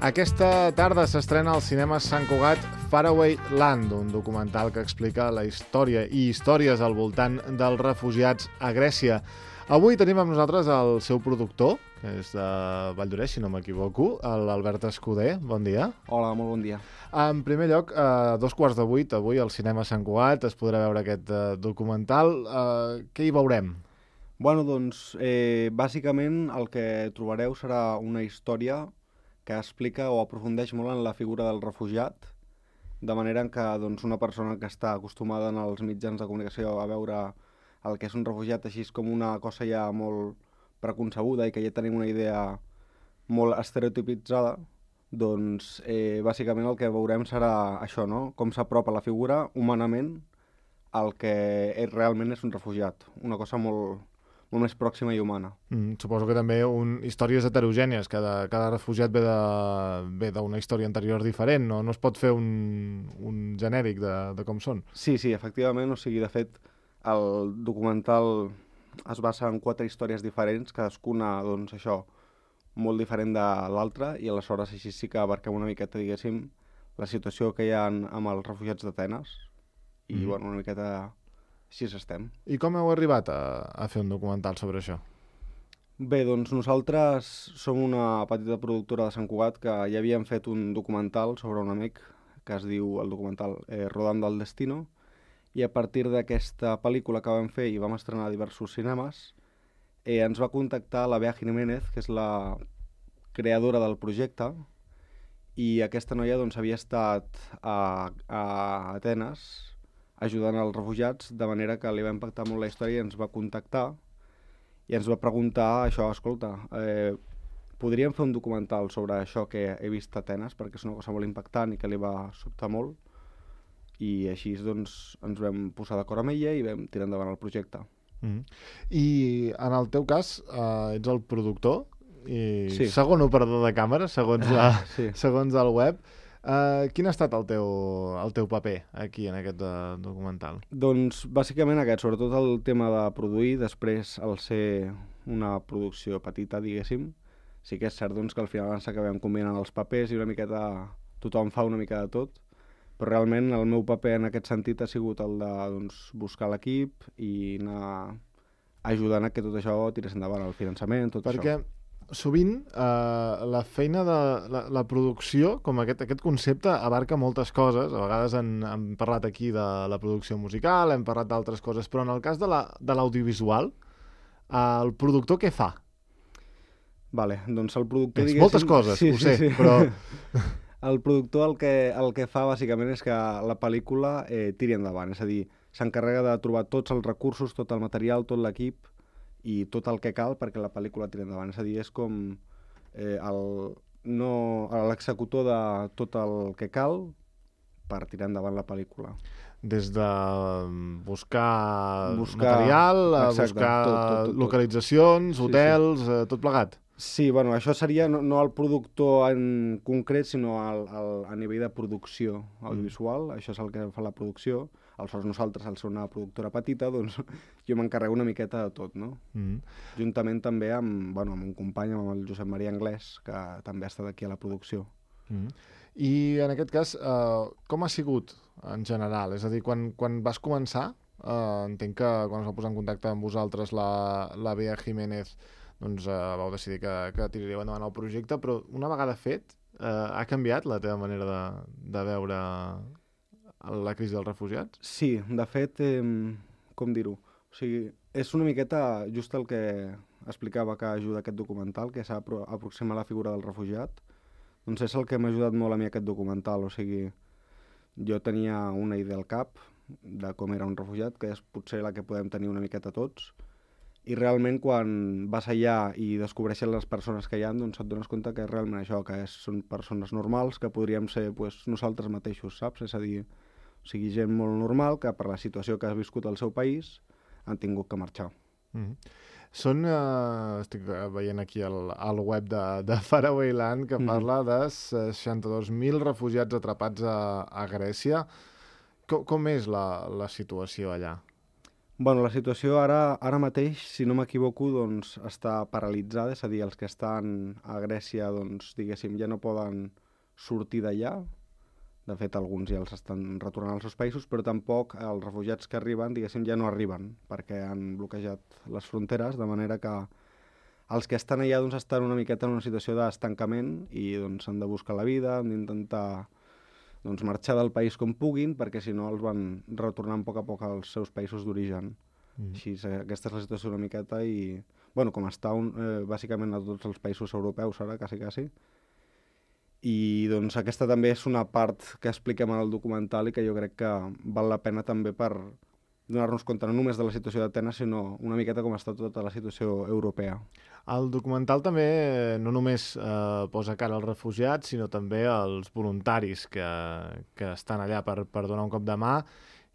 Aquesta tarda s'estrena al cinema Sant Cugat Faraway Land, un documental que explica la història i històries al voltant dels refugiats a Grècia. Avui tenim amb nosaltres el seu productor, que és de Valldoreix, si no m'equivoco, l'Albert Escuder. Bon dia. Hola, molt bon dia. En primer lloc, a 7:15, avui al cinema Sant Cugat es podrà veure aquest documental. Què hi veurem? Bueno, doncs, bàsicament el que trobareu serà una història que explica o aprofundeix molt en la figura del refugiat, de manera que doncs, una persona que està acostumada en els mitjans de comunicació a veure el que és un refugiat així com una cosa ja molt preconcebuda i que ja tenim una idea molt estereotipitzada, doncs bàsicament el que veurem serà això, no? Com s'apropa la figura humanament al que realment és un refugiat, una cosa molt més pròxima i humana. Suposo que també històries heterogènies, cada refugiat ve d'una història anterior diferent, no es pot fer un genèric de com són. Sí, efectivament, o sigui, de fet, el documental es basa en 4 històries diferents, cadascuna, doncs, això, molt diferent de l'altra, i aleshores així sí que abarquem una miqueta, diguéssim, la situació que hi ha amb els refugiats d'Atenes, i, bueno, una miqueta així estem. I com heu arribat a fer un documental sobre això? Bé, doncs nosaltres som una petita productora de Sant Cugat que ja havíem fet un documental sobre un amic que es diu el documental Rodando al Destino, i a partir d'aquesta pel·lícula que vam fer i vam estrenar a diversos cinemes, ens va contactar la Bea Jiménez, que és la creadora del projecte, i aquesta noia doncs, havia estat a Atenes ajudant els refugiats, de manera que li va impactar molt la història i ens va contactar i ens va preguntar això, escolta, podríem fer un documental sobre això que he vist a Atenes, perquè és una cosa molt impactant i que li va sobtar molt, i així doncs ens vam posar d'acord amb ella i vam tirar endavant el projecte. I en el teu cas ets el productor i sí. Segon operador de càmera, segons sí. segons el web. Quin ha estat el teu paper aquí en aquest documental? Doncs bàsicament aquest, sobretot el tema de produir, després al ser una producció petita, diguéssim, sí que és cert doncs, que al final ens acabem combinant els papers i una miqueta tothom fa una mica de tot, però realment el meu paper en aquest sentit ha sigut el de doncs, buscar l'equip i anar ajudant a que tot això tirés endavant, el finançament, tot això. Perquè sovint la feina de la producció, com aquest concepte, abarca moltes coses. A vegades hem parlat aquí de la producció musical, hem parlat d'altres coses, però en el cas de l'audiovisual, el productor què fa? Vale, doncs el productor, diguéssim... Moltes coses, ho sé, però... El productor el que fa bàsicament és que la pel·lícula tiri endavant, és a dir, s'encarrega de trobar tots els recursos, tot el material, tot l'equip i tot el que cal perquè la pel·lícula tiri endavant. És a dir, és com l'executor de tot el que cal per tirar endavant la pel·lícula. Des de buscar material, exacte, buscar tot. Localitzacions, hotels, tot plegat. Sí, bueno, això seria no el productor en concret, sinó a nivell de producció audiovisual. Això és el que fa la producció. Aleshores nosaltres, al ser una productora petita, doncs jo m'encarrego una miqueta de tot, no? Juntament també amb un company, amb el Josep Maria Anglès, que també ha estat aquí a la producció. I en aquest cas, com ha sigut en general? És a dir, quan vas començar, entenc que quan es va posar en contacte amb vosaltres la Bea Jiménez, doncs vau decidir que tiraríeu endavant el projecte, però una vegada fet, ha canviat la teva manera de veure la crisi dels refugiats? Sí, de fet, com dir-ho? O sigui, és una miqueta just el que explicava que ajuda aquest documental, que s'ha aproximat la figura del refugiat. Doncs és el que m'ha ajudat molt a mi aquest documental. O sigui, jo tenia una idea al cap de com era un refugiat, que és potser la que podem tenir una miqueta tots, i realment quan vas allà i descobreixes les persones que hi ha, doncs et dones compte que és realment això, que són persones normals, que podríem ser nosaltres mateixos, saps? És a dir, o sigui, gent molt normal que per la situació que has viscut al seu país han tingut que marxar. Estic veient aquí al web de Faraway Land que parla de 62.000 refugiats atrapats a Grècia. Com és la situació allà? Bueno, la situació ara mateix, si no m'equivoco, doncs està paralitzada, és a dir, els que estan a Grècia, doncs, diguéssim, ja no poden sortir d'allà. De fet, alguns ja els estan retornant als seus països, però tampoc els refugiats que arriben, diguéssim, ja no arriben, perquè han bloquejat les fronteres, de manera que els que estan allà doncs, estan una miqueta en una situació d'estancament i doncs, han de buscar la vida, han d'intentar doncs, marxar del país com puguin, perquè si no els van retornant a poc als seus països d'origen. Així, aquesta és la situació una miqueta i, bueno, com està bàsicament a tots els països europeus ara, quasi. I doncs aquesta també és una part que expliquem en el documental i que jo crec que val la pena també per donar-nos compte no només de la situació d'Atenes, sinó una miqueta com està tota la situació europea. El documental també no només posa cara als refugiats, sinó també als voluntaris que estan allà per donar un cop de mà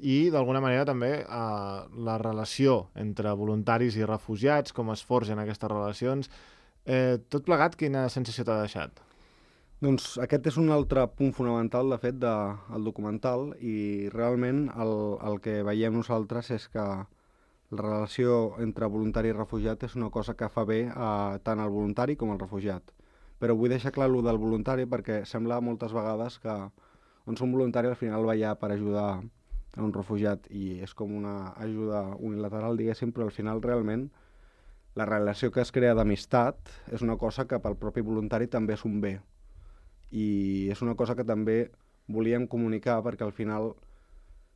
i, d'alguna manera, també la relació entre voluntaris i refugiats, com es forgen aquestes relacions. Tot plegat, quina sensació t'ha deixat? Doncs aquest és un altre punt fonamental, de fet, del documental i realment el que veiem nosaltres és que la relació entre voluntari i refugiat és una cosa que fa bé tant al voluntari com al refugiat. Però vull deixar clar allò del voluntari perquè sembla moltes vegades que un voluntari al final va allà per ajudar a un refugiat i és com una ajuda unilateral, diguéssim, però al final realment la relació que es crea d'amistat és una cosa que pel propi voluntari també és un bé. I és una cosa que també volíem comunicar perquè al final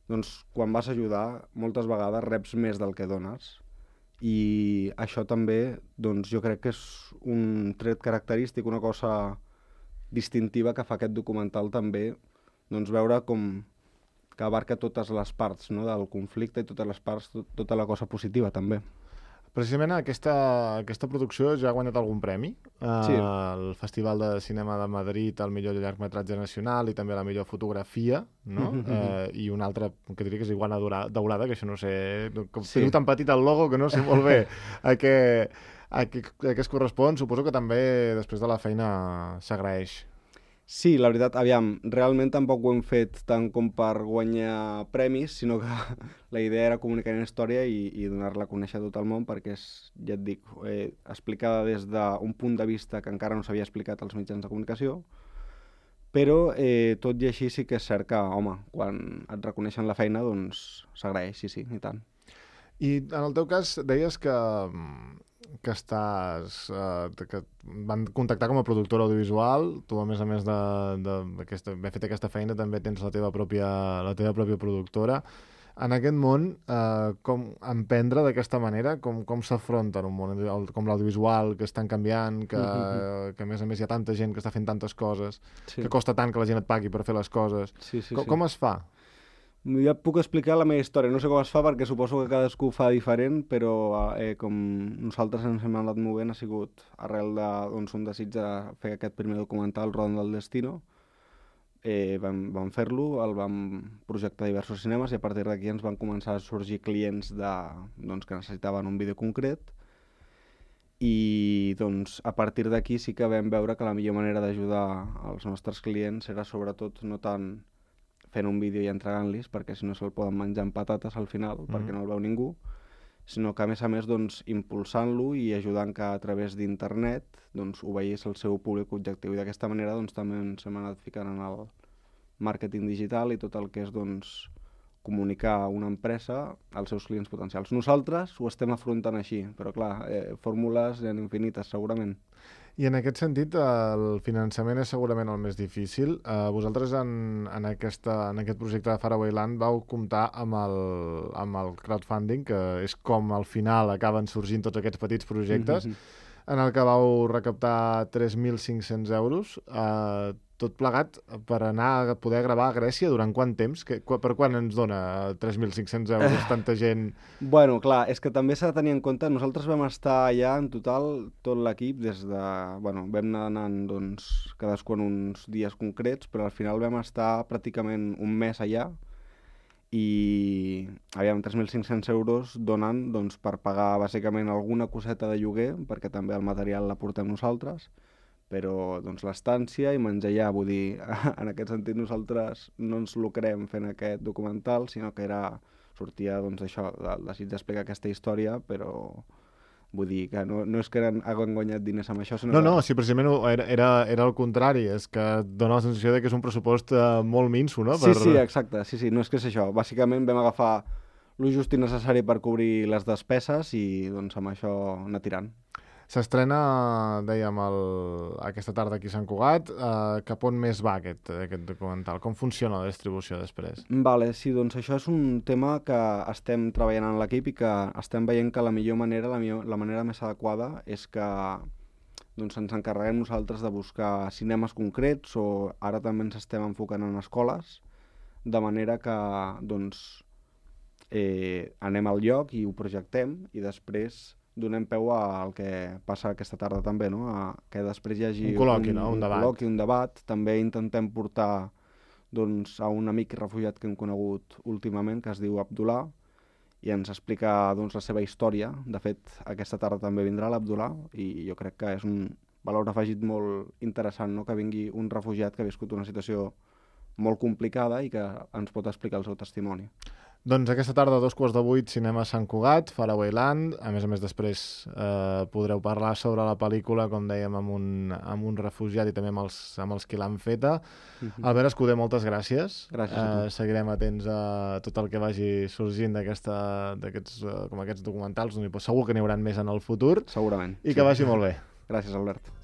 doncs, quan vas ajudar moltes vegades reps més del que dones i això també doncs, jo crec que és un tret característic, una cosa distintiva que fa aquest documental també doncs, veure com que abarca totes les parts no, del conflicte i totes les parts, tota la cosa positiva també. Precisament aquesta producció ja ha guanyat algun premi. Sí. El Festival de Cinema de Madrid, el millor llargmetratge nacional i també la millor fotografia, no? I un altre, que diria que és Iguana Daurada, que això no sé... Com sí. Teniu tan petit el logo que no sé molt bé a què es correspon. Suposo que també després de la feina s'agraeix. Sí, la veritat, aviam, realment tampoc ho hem fet tant com per guanyar premis, sinó que la idea era comunicar una història i donar-la a conèixer a tot el món perquè és, ja et dic, explicada des d'un punt de vista que encara no s'havia explicat als mitjans de comunicació, però tot i així sí que és cert que, home, quan et reconeixen la feina, doncs s'agraeix, sí, i tant. I en el teu cas deies que van contactar com a productora audiovisual, tu a més d'haver fet aquesta feina també tens la teva pròpia productora. En aquest món, com emprendre d'aquesta manera, com s'afronta en un món com l'audiovisual, que és tan canviant, que a més hi ha tanta gent que està fent tantes coses, que costa tant que la gent et pagui per fer les coses. Com es fa? Ja et puc explicar la meva història. No sé com es fa perquè suposo que cadascú ho fa diferent, però com nosaltres ens hem anat movent ha sigut arrel d'un desig de fer aquest primer documental, Rodant del Destino. Vam fer-lo, el vam projectar a diversos cinemes i a partir d'aquí ens van començar a sorgir clients que necessitaven un vídeo concret i doncs, a partir d'aquí sí que vam veure que la millor manera d'ajudar els nostres clients era sobretot no tant fent un vídeo i entregant-los, perquè si no se'l poden menjar amb patates al final, perquè no el veu ningú, sinó que a més doncs, impulsant-lo i ajudant que a través d'internet doncs, ho veiés el seu públic objectiu. I d'aquesta manera doncs, també ens hem anat ficant en el màrqueting digital i tot el que és doncs, comunicar una empresa als seus clients potencials. Nosaltres ho estem afrontant així, però clar, fórmules en infinites segurament. I en aquest sentit, el finançament és segurament el més difícil. Vosaltres en aquest projecte de Faraway Land vau comptar amb el crowdfunding, que és com al final acaben sorgint tots aquests petits projectes, en el que vau recaptar 3.500 euros, tot plegat per anar a poder gravar a Grècia durant quant temps? Per quan ens dona 3.500 euros tanta gent? Bueno, clar, és que també s'ha de tenir en compte, nosaltres vam estar allà en total, tot l'equip, vam anar anant doncs, cadascú en uns dies concrets, però al final vam estar pràcticament un mes allà i 3.500 euros donen doncs, per pagar bàsicament alguna coseta de lloguer, perquè també el material la portem nosaltres, però doncs, l'estància i menjar allà, vull dir, en aquest sentit nosaltres no ens lucrem fent aquest documental, sinó que era sortia doncs això, del desig d'explicar aquesta història, però vull dir que no és que hagin guanyat diners amb això, sinó No, sí, precisament era el contrari, és que et dona la sensació de que és un pressupost molt minso, no? Sí, exacte, sí, no és que és això. Bàsicament vam agafar el just i necessari per cobrir les despeses i doncs amb això anar tirant. S'estrena, dèiem, aquesta tarda aquí a Sant Cugat. Cap on més va aquest documental? Com funciona la distribució després? Vale, sí, doncs això és un tema que estem treballant en l'equip i que estem veient que la millor manera, la manera més adequada és que doncs, ens encarreguem nosaltres de buscar cinemes concrets o ara també ens estem enfocant en escoles, de manera que doncs, anem al lloc i ho projectem i després donem peu al que passa aquesta tarda també, no? Que després hi hagi un col·loqui, no? Un col·loqui, un debat. També intentem portar doncs, a un amic refugiat que hem conegut últimament, que es diu Abdullah, i ens explica doncs, la seva història. De fet, aquesta tarda també vindrà l'Abdullah i jo crec que és un valor afegit molt interessant, no? Que vingui un refugiat que ha viscut una situació molt complicada i que ens pot explicar el seu testimoni. Doncs aquesta tarda, a 7:15, Cinema Sant Cugat, Faraway Land. A més, després podreu parlar sobre la pel·lícula, com dèiem, amb un refugiat i també amb els qui l'han feta. Albert Escudé, moltes gràcies. Gràcies a tu. Seguirem atents a tot el que vagi sorgint d'aquests documentals. Segur que n'hi haurà més en el futur. Segurament. I que vagi molt bé. Gràcies, Albert.